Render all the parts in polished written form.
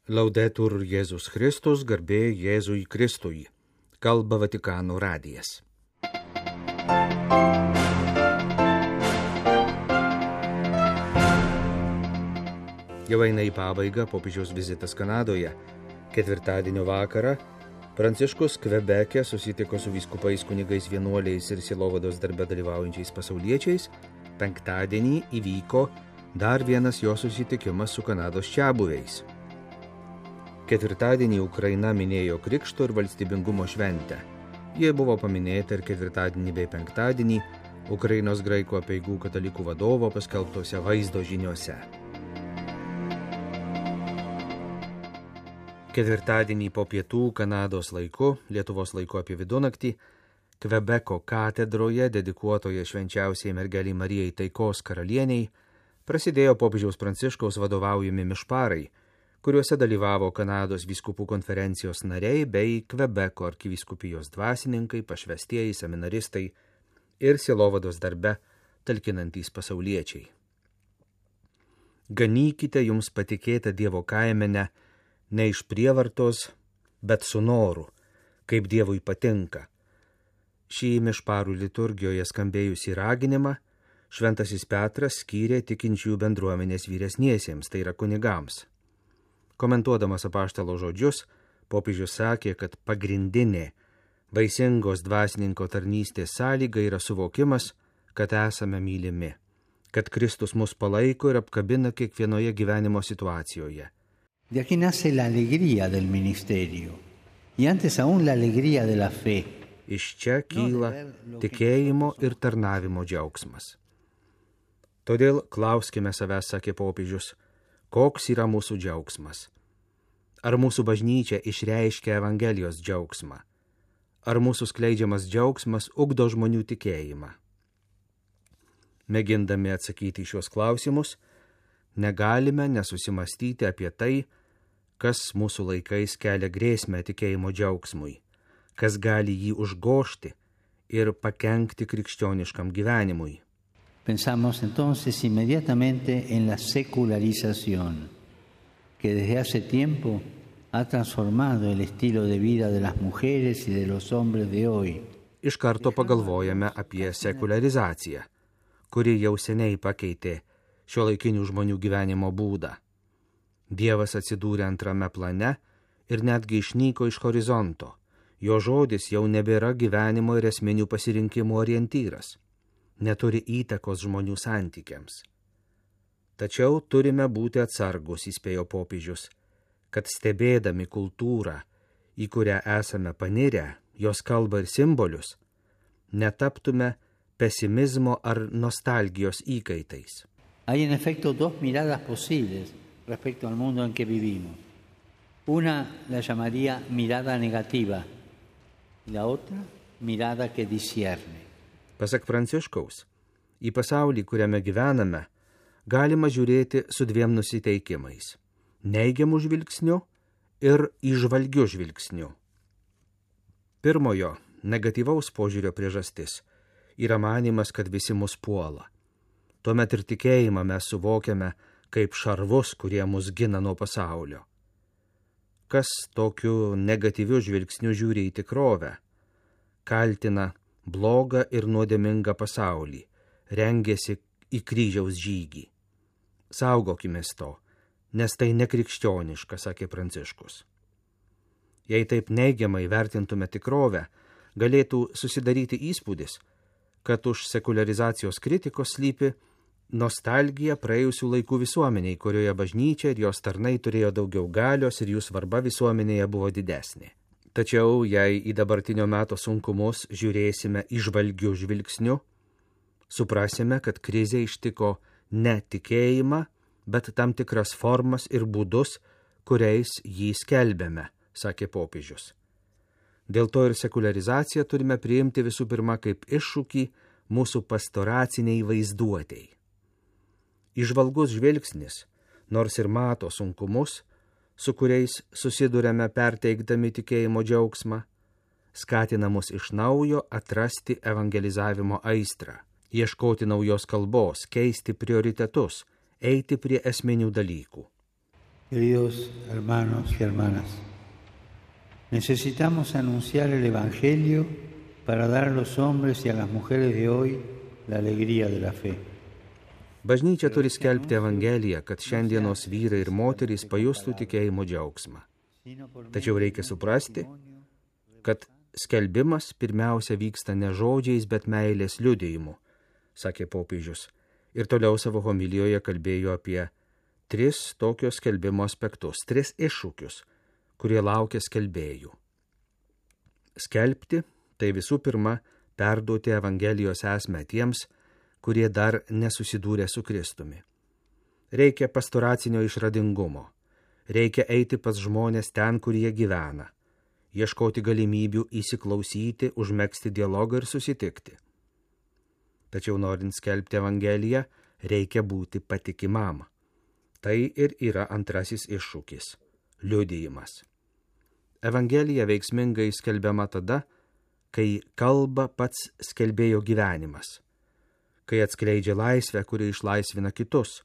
Laudetur Jėzus Kristus, garbė Jėzui Kristui. Kalba Vatikano radijas. Jau eina į pabaigą popiežiaus vizitas Kanadoje. Ketvirtadienio vakarą Pranciškus Kvebeke susitiko su vyskupais, kunigais, vienuoliais ir sielovados darbe dalyvaujančiais pasauliečiais. Penktadienį įvyko dar vienas jo susitikimas su Kanados čiabuviais. Ketvirtadienį Ukraina minėjo Krikšto ir valstybingumo šventę. Jie buvo paminėta ir ketvirtadienį bei penktadienį Ukrainos graikų apeigų katalikų vadovo paskelbtose vaizdo žiniuose. Ketvirtadienį po pietų Kanados laiku, Lietuvos laiku apie vidunaktį, Kvebeko katedroje, dedikuotoje švenčiausiai mergelei Marijai taikos karalieniai, prasidėjo popiežiaus Pranciškaus vadovaujami mišparai, kuriuose dalyvavo Kanados vyskupų konferencijos nariai bei Kvebeko arkivyskupijos dvasininkai, pašvestieji, seminaristai ir sielovados darbe talkinantys pasauliečiai. Ganykite jums patikėtą Dievo kaimenę ne iš prievartos, bet su noru, kaip Dievui patinka. Šį mišparų liturgijoje skambėjusį raginimą Šventasis Petras skyrė tikinčiųjų bendruomenės vyresniesiems, tai yra kunigams. Komentuodamas apaštalo žodžius, popiežius sakė, kad pagrindinė vaisingos dvasininko tarnystės sąlyga yra suvokimas, kad esame mylimi, kad Kristus mus palaiko ir apkabina kiekvienoje gyvenimo situacijoje. De aquí nace la alegría del ministerio, y antes aún la alegría de la fe. Iš čia kyla tikėjimo ir tarnavimo džiaugsmas. Todėl klauskime savęs, sakė popiežius, koks yra mūsų džiaugsmas? Ar mūsų bažnyčia išreiškia Evangelijos džiaugsmą? Ar mūsų skleidžiamas džiaugsmas ugdo žmonių tikėjimą? Mėgindami atsakyti į šios klausimus, negalime nesusimastyti apie tai, kas mūsų laikais kelia grėsmę tikėjimo džiaugsmui, kas gali jį užgožti ir pakenkti krikščioniškam gyvenimui. Pensamos entonces inmediatamente en la secularización, que desde hace tiempo ha transformado el estilo de vida de las mujeres y de los hombres de hoy. Iš karto pagalvojame apie sekularizaciją, kuri jau seniai pakeitė šiuolaikinių žmonių gyvenimo būdą. Dievas atsidūrė antrame plane ir netgi išnyko iš horizonto. Jo žodis jau nebėra gyvenimo ir esminių pasirinkimų orientyras. Neturi įtakos žmonių santykiams. Tačiau turime būti atsargus, įspėjo popiežius, kad stebėdami kultūrą, į kurią esame panirę, jos kalbą ir simbolius, netaptume pesimizmo ar nostalgijos įkaitais. Hay en efecto dos miradas posibles respecto al mundo en que vivimos. Una la llamaría mirada negativa y la otra mirada que discierne. Pasak Pranciškaus, į pasaulį, kuriame gyvename, galima žiūrėti su dviem nusiteikimais – neigiamų žvilgsnių ir įžvalgių žvilgsnių. Pirmojo, negatyvaus požiūrio priežastis yra manymas, kad visi mus puola. Tuomet ir tikėjimą mes suvokiame kaip šarvus, kurie mus gina nuo pasaulio. Kas tokiu negatyviu žvilgsniu žiūri į tikrovę, kaltina blogą ir nuodėmingą pasaulį, rengėsi į kryžiaus žygį. Saugokimės to, nes tai nekrikščioniška, sakė Pranciškus. Jei taip neigiamai vertintume tikrovę, galėtų susidaryti įspūdis, kad už sekularizacijos kritikos slypi nostalgija praėjusių laikų visuomeniai, kurioje bažnyčia ir jos tarnai turėjo daugiau galios ir jų svarba visuomenėje buvo didesnė. Tačiau, jei į dabartinio meto sunkumus žiūrėsime įžvalgių žvilgsniu, suprasime, kad krizė ištiko ne tikėjimą, bet tam tikras formas ir būdus, kuriais jį skelbėme, sakė popiežius. Dėl to ir sekularizaciją turime priimti visų pirma kaip iššūkį mūsų pastoraciniai vaizduotei. Įžvalgus žvilgsnis, nors ir mato sunkumus, su kuriais susiduriame perteikdami tikėjimo džiaugsmą, skatina mus iš naujo atrasti evangelizavimo aistrą, ieškoti naujos kalbos, keisti prioritetus, eiti prie esminių dalykų. Queridos hermanos y hermanas, necesitamos anunciar el Evangelio para dar a los hombres y a las mujeres de hoy la alegría de la fe. Bažnyčia turi skelbti Evangeliją, kad šiandienos vyrai ir moterys pajustų tikėjimo džiaugsmą. Tačiau reikia suprasti, kad skelbimas pirmiausia vyksta ne žodžiais, bet meilės liudijimu, sakė popiežius. Ir toliau savo homilijoje kalbėjo apie 3 tokio skelbimo aspektus, 3 iššūkius, kurie laukia skelbėjų. Skelbti – tai visų pirma perduoti Evangelijos esmę tiems, kurie dar nesusidūrė su Kristumi. Reikia pastoracinio išradingumo. Reikia eiti pas žmonės ten, kur jie gyvena. Ieškoti galimybių įsiklausyti, užmegzti dialogą ir susitikti. Tačiau norint skelbti Evangeliją, reikia būti patikimam. Tai ir yra antrasis iššūkis – liudijimas. Evangelija veiksmingai skelbiama tada, kai kalba pats skelbėjo gyvenimas, kai atskleidžia laisvę, kuri išlaisvina kitus,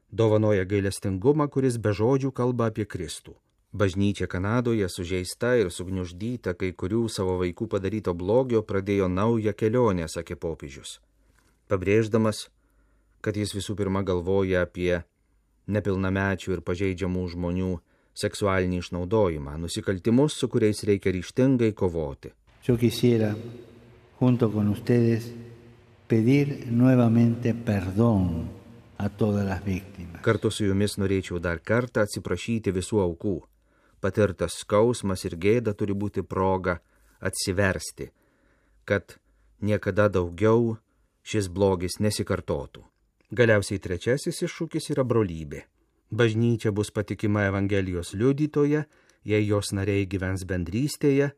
dovanoja gailestingumą, kuris be žodžių kalba apie Kristų. Bažnyčia Kanadoje sužeista ir sugniuždyta kai kurių savo vaikų padaryto blogio pradėjo naują kelionę, sakė popiežius, pabrėždamas, kad jis visų pirma galvoja apie nepilnamečių ir pažeidžiamų žmonių seksualinį išnaudojimą, nusikaltimus, su kuriais reikia ryžtingai kovoti. Yo quisiera, junto con ustedes, pedir nuevamente perdón a todas las víctimas. Kartu su jumis norėčiau dar kartą atsiprašyti visų aukų. Patirtas skausmas ir gėda turi būti proga atsiversti, kad niekada daugiau šis blogis nesikartotų. Galiausiai trečiasis iššūkis yra brolybė. Bažnyčia bus patikima Evangelijos liudytoja, jei jos nariai gyvens bendrystėje,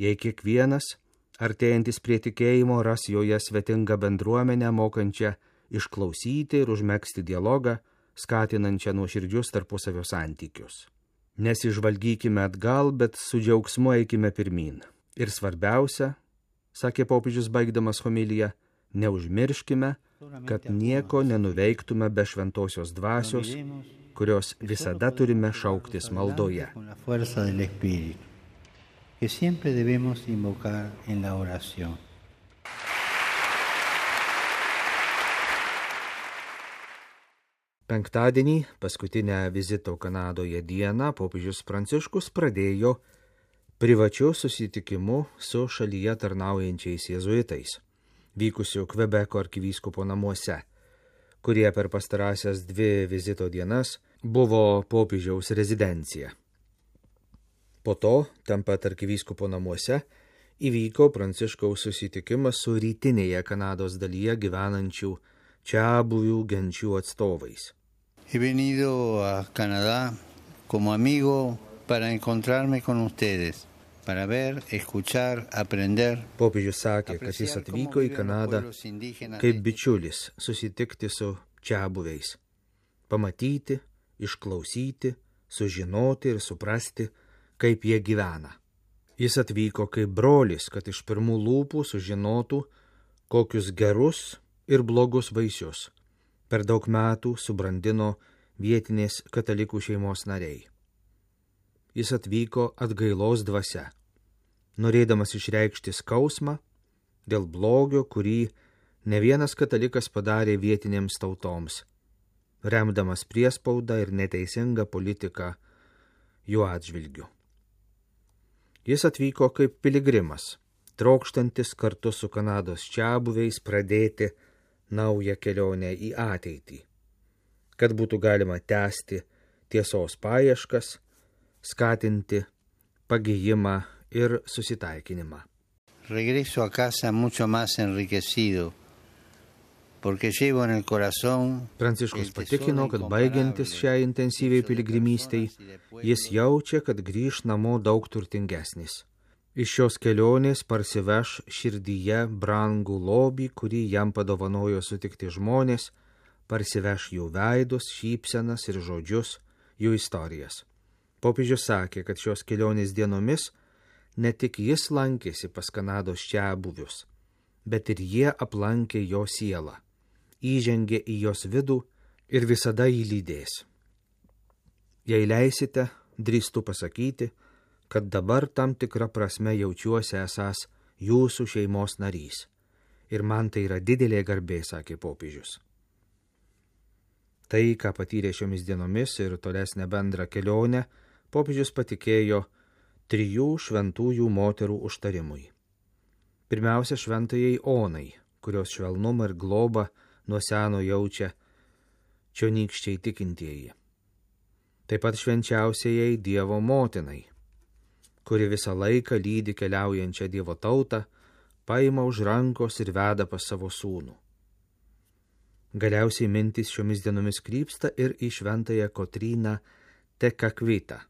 jei kiekvienas artėjantis prie tikėjimo ras joje svetingą bendruomenę, mokančią išklausyti ir užmegzti dialogą, skatinančią nuoširdžius tarpusavio santykius. Nesižvalgykime atgal, bet su džiaugsmu eikime pirmyn. Ir svarbiausia, sakė popiežius baigdamas homiliją, neužmirškime, kad nieko nenuveiktume be šventosios dvasios, kurios visada turime šauktis maldoje. Que siempre debemos invocar en la oración. Penktadienį, paskutinę vizito Kanadoje dieną, popiežius Pranciškus pradėjo privačiu susitikimu su šalyje tarnaujančiais jėzuitais, vykusiu Kvebeko arkivyskupo namuose, kurie per pastarąsias 2 vizito dienas buvo popiežiaus rezidencija. Po to, ten pat arkivyskupo namuose, įvyko Pranciškaus susitikimas su rytinėje Kanados dalyje gyvenančių čiabuvių genčių atstovais. He venido a Canadá como amigo para encontrarme con ustedes, para ver, escuchar, aprender. Popiežius sakė, kad jis atvyko į Kanadą kaip bičiulis susitikti su čiabuviais, pamatyti, išklausyti, sužinoti ir suprasti, kaip jie gyvena. Jis atvyko kaip brolis, kad iš pirmų lūpų sužinotų, kokius gerus ir blogus vaisius per daug metų subrandino vietinės katalikų šeimos nariai. Jis atvyko atgailos dvasia, norėdamas išreikšti skausmą dėl blogio, kurį ne vienas katalikas padarė vietinėms tautoms, remdamas priespaudą ir neteisingą politiką jų atžvilgiu. Jis atvyko kaip piligrimas, trokštantis kartu su Kanados čiabuviais pradėti naują kelionę į ateitį, kad būtų galima tęsti tiesos paieškas, skatinti pagijimą ir susitaikinimą. Regreso a casa mucho más enriquecido, porque llevo en el corazón. Pranciškus patikino, kad baigiantis šiai intensyviai piligrimystei, jis jaučia, kad grįš namo daug turtingesnis. Iš šios kelionės parsiveš širdyje brangų lobį, kurį jam padovanojo sutikti žmonės, parsiveš jų veidus, šypsenas ir žodžius, jų istorijas. Popiežius sakė, kad šios kelionės dienomis ne tik jis lankėsi pas Kanados čiabuvius, bet ir jie aplankė jo sielą, įžengė į jos vidų ir visada jį lydės. Jei leisite, drįstu pasakyti, kad dabar tam tikrą prasme jaučiuosi esąs jūsų šeimos narys. Ir man tai yra didelė garbė, sakė popiežius. Tai, ką patyrė šiomis dienomis ir tolesnę bendrą kelionę, popiežius patikėjo 3 šventųjų moterų užtarimui. Pirmiausia, šventajai Onai, kurios švelnumą ir globą nuo seno jaučia čionykščiai tikintieji. Taip pat švenčiausiai Dievo motinai, kuri visą laiką lydi keliaujančią Dievo tautą, paima už rankos ir veda pas savo sūnų. Galiausiai mintis šiomis dienomis krypsta ir į šventąją Kotryną Tekakvitą,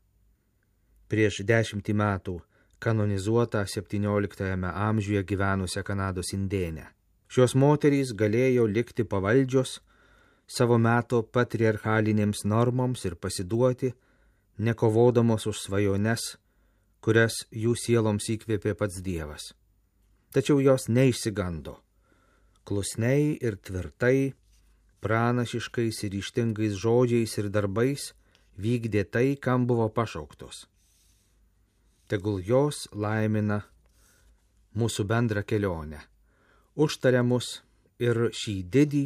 prieš 10 metų kanonizuotą 17 amžiuje gyvenusią Kanados indėnę. Šios moterys galėjo likti pavaldžios savo meto patriarchalinėms normoms ir pasiduoti, nekovodamos už svajones, kurias jų sieloms įkvėpė pats Dievas. Tačiau jos neišsigando. Klusniai ir tvirtai, pranašiškais ir ryžtingais žodžiais ir darbais vykdė tai, kam buvo pašauktos. Tegul jos laimina mūsų bendrą kelionę, užtaria mus ir šį didį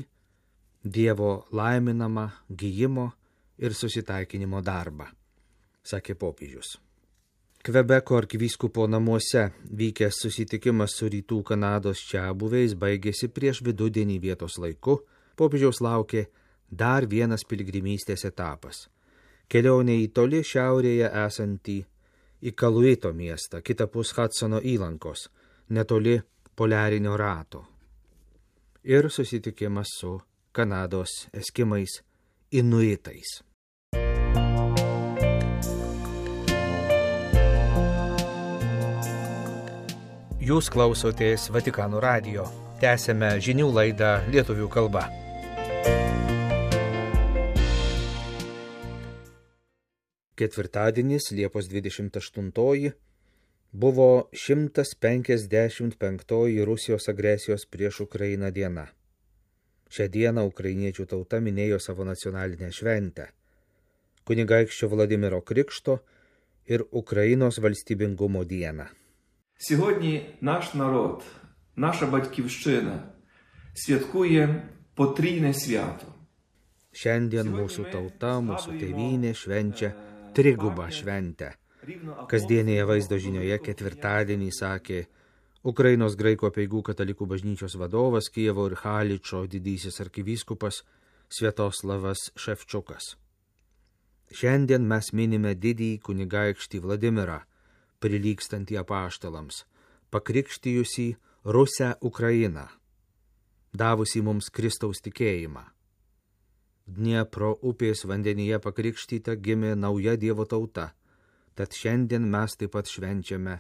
Dievo laiminamą gijimo ir susitaikinimo darbą, sakė popiežius. Kvebeko arkivyskupo namuose vykęs susitikimas su rytų Kanados čiabuviais baigėsi prieš vidudienį vietos laiku. Popiežiaus laukė dar vienas piligrimystės etapas. Kelionė į toli šiaurėje esantį Ikaluito miestą, kitapus Hudsono įlankos, netoli poliarinio rato. Ir susitikimas su Kanados eskimais inuitais. Jūs klausotės Vatikano radijo. Tęsėme žinių laidą lietuvių kalba. Ketvirtadienis, Liepos 28, buvo 155 Rusijos agresijos prieš Ukrainą diena. Šią dieną ukrainiečių tauta minėjo savo nacionalinę šventę – kunigaikščio Vladimiro Krikšto ir Ukrainos valstybingumo dieną. Сьогодні наш народ, наша батьківщина святкує потрійне свято. Šiandien mūsų tauta, mūsų tėvynė švenčia trigubą šventę. Kasdienėje vaizdo žinioje ketvirtadienį sakė Ukrainos graikų apeigų katalikų bažnyčios vadovas, Kijevo ir Haličo didysis arkivyskupas Sviatoslavas Ševčiukas. Šiandien mes minime didįjį kunigaikštį Vladimirą, prilygstantį apaštalams, pakrikštijusį Rusę Ukrainą, davusį mums Kristaus tikėjimą. Dniepro upės vandenyje pakrikštyta gimė nauja Dievo tauta, tad šiandien mes taip pat švenčiame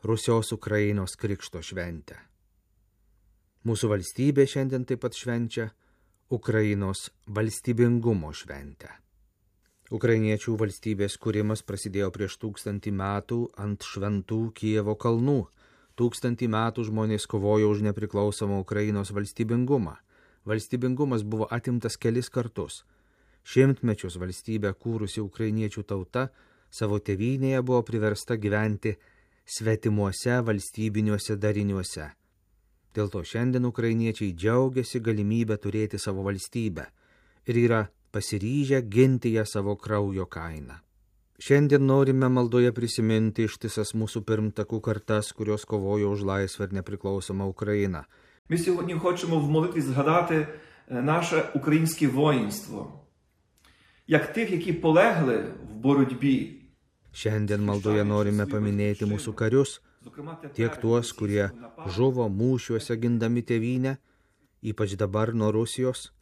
Rusios Ukrainos krikšto šventę. Mūsų valstybė šiandien taip pat švenčia Ukrainos valstybingumo šventę. Ukrainiečių valstybės kūrimas prasidėjo prieš 1000 metų ant šventų Kijevo kalnų. 1000 metų žmonės kovojo už nepriklausomą Ukrainos valstybingumą. Valstybingumas buvo atimtas kelis kartus. 100 mečius valstybę kūrusi ukrainiečių tauta savo tėvynėje buvo priversta gyventi svetimuose valstybiniuose dariniuose. Dėl to šiandien ukrainiečiai džiaugiasi galimybę turėti savo valstybę ir yra pasiryžę ginti ją savo kraujo kainą. Šiandien norime maldoje prisiminti ištisas mūsų pirmtakų kartas, kurios kovojo už laisvę ir nepriklausomą Ukrainą. Ми сьогодні хочемо в молитві згадати наше українське воїнство, як тих, які полегли в боротьбі. Šiandien maldoje norime paminėti mūsų karius, tiek tuos, kurie žuvo mūšiuose gindami tėvynę, ypač dabar nuo Rusijos,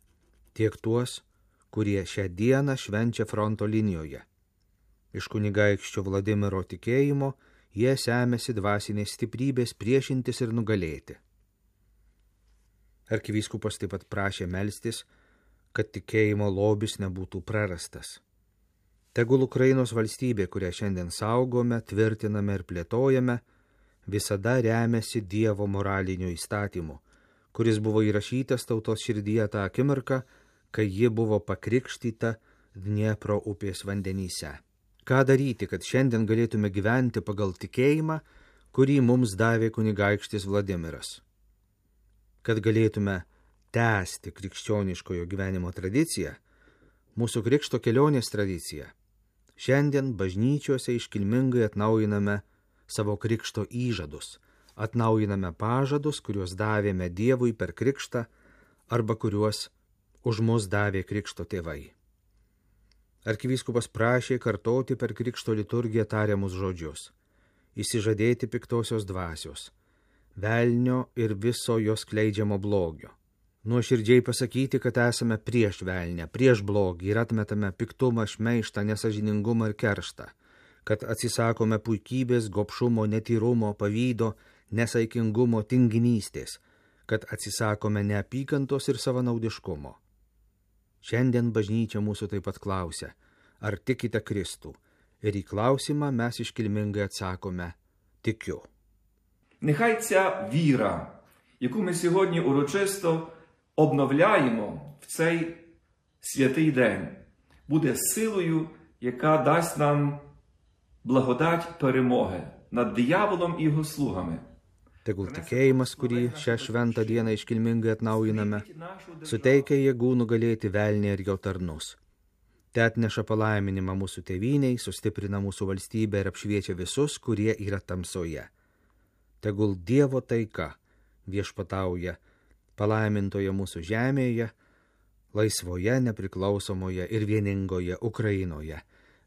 tiek tuos, kurie šią dieną švenčia fronto linijoje. Iš kunigaikščio Vladimiro tikėjimo jie semėsi dvasinės stiprybės priešintis ir nugalėti. Arkivyskupas taip pat prašė melstis, kad tikėjimo lobis nebūtų prarastas. Tegul Ukrainos valstybė, kurią šiandien saugome, tvirtiname ir plėtojame, visada remiasi Dievo moraliniu įstatymu, kuris buvo įrašytas tautos širdyje tą akimirką, kai ji buvo pakrikštyta Dniepro upės vandenyse. Ką daryti, kad šiandien galėtume gyventi pagal tikėjimą, kurį mums davė kunigaikštis Vladimiras? Kad galėtume tęsti krikščioniškojo gyvenimo tradiciją, mūsų krikšto kelionės tradiciją, šiandien bažnyčiose iškilmingai atnaujiname savo krikšto įžadus, atnaujiname pažadus, kuriuos davėme Dievui per krikštą arba kuriuos už mus davė krikšto tėvai. Arkivyskupas prašė kartoti per krikšto liturgiją tariamus žodžius, įsižadėti piktosios dvasios, velnio ir viso jos skleidžiamo blogio, nuoširdžiai pasakyti, kad esame prieš velnę, prieš blogį ir atmetame piktumą, šmeižtą, nesažiningumą ir kerštą, kad atsisakome puikybės, gobšumo, netyrumo, pavydo, nesaikingumo, tinginystės, kad atsisakome neapykantos ir savanaudiškumo. Šiandien bažnyčia mūsų taip pat klausia, ar tikite Kristų, ir į klausimą mes iškilmingai atsakome, tikiu. Нехай ця віра, яку ми сьогодні урочисто обновляємо в цей святий день, буде силою, яка дасть нам благодать перемоги над дияволом і його слугами. Tegul tikėjimas, kurį šią šventą dieną iškilmingai atnaujiname, suteikia jėgų nugalėti velnį ir jo tarnus. Te atneša palaiminimą mūsų tėvyniai, sustiprina mūsų valstybę ir apšviečia visus, kurie yra tamsoje. Tegul Dievo taika viešpatauja palaimintoje mūsų žemėje, laisvoje, nepriklausomoje ir vieningoje Ukrainoje,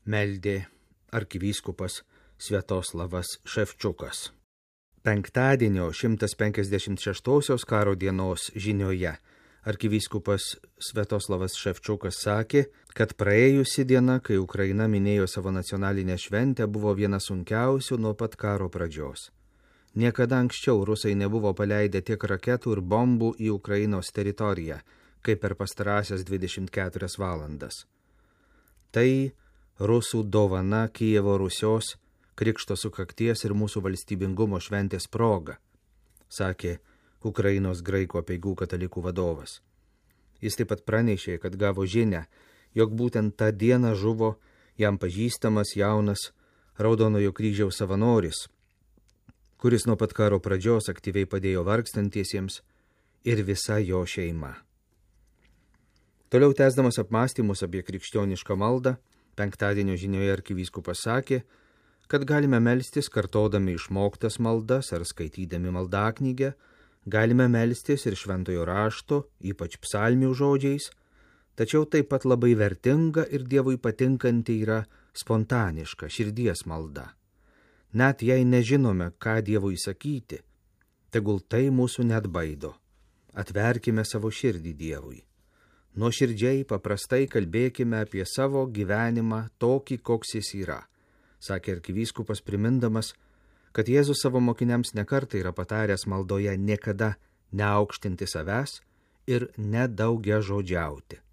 meldė arkivyskupas Sviatoslavas Ševčiukas. Penktadienio 156 karo dienos žinioje arkivyskupas Sviatoslavas Ševčiukas sakė, kad praėjusi diena, kai Ukraina minėjo savo nacionalinę šventę, buvo viena sunkiausių nuo pat karo pradžios. Niekada anksčiau rusai nebuvo paleidę tiek raketų ir bombų į Ukrainos teritoriją, kaip per pastarąsias 24 valandas. Tai rusų dovana Kijevo Rusios Krikšto sukakties ir mūsų valstybingumo šventės proga, sakė Ukrainos graikų apeigų katalikų vadovas. Jis taip pat pranešė, kad gavo žinią, jog būtent tą dieną žuvo jam pažįstamas jaunas Raudonojo kryžiaus savanoris, kuris nuo pat karo pradžios aktyviai padėjo vargstantiesiems ir visa jo šeima. Toliau tęsdamas apmąstymus apie krikščionišką maldą, penktadienio žinioje arkivyskupas sakė, kad galime melstis kartodami išmoktas maldas ar skaitydami maldaknygę, galime melstis ir šventojo rašto, ypač psalmių žodžiais, tačiau taip pat labai vertinga ir Dievui patinkanti yra spontaniška širdies malda. Net jei nežinome, ką Dievui sakyti, tegul tai mūsų neatbaido. Atverkime savo širdį Dievui. Nuoširdžiai, paprastai kalbėkime apie savo gyvenimą tokį, koks jis yra, sakė arkivyskupas primindamas, kad Jėzus savo mokiniams nekartą yra pataręs maldoje niekada neaukštinti savęs ir nedaugiažodžiauti.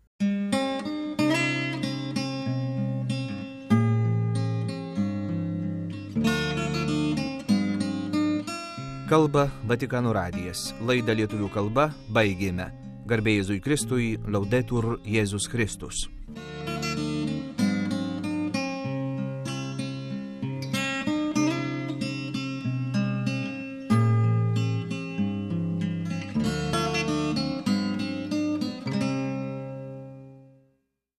Kalba Vatikano radijas. Laidą lietuvių kalba baigėme. Garbė Jėzui Kristui, Laudetur Jėzus Kristus.